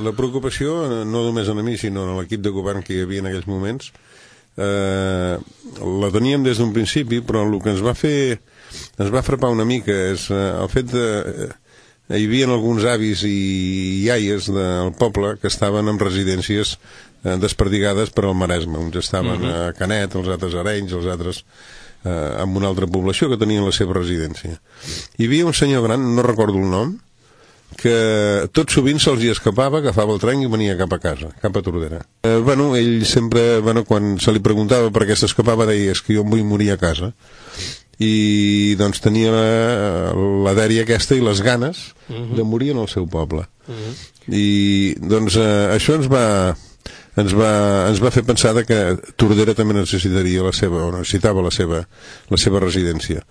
La preocupació, no només a mi, sinó a l'equip de govern que hi havia en aquells moments, la teníem des d'un principi, però el que ens va frapar una mica és el fet de... Hi havia alguns avis i iaies del poble que estaven en residències desperdigades per al Maresme. Uns estaven a Canet, els altres a Arenys, els altres en una altra població que tenien la seva residència. Hi havia un senyor gran, no recordo el nom, que tot sovint se'ls hi escapava, agafava el tren i venia cap a casa, cap a Tordera. Ell sempre, quan se li preguntava per què s'escapava, deia, és que jo em vull morir a casa. I doncs tenia la dèria aquesta i les ganes de morir en el seu poble. I doncs això ens va fer pensar que Tordera també necessitava la seva residència.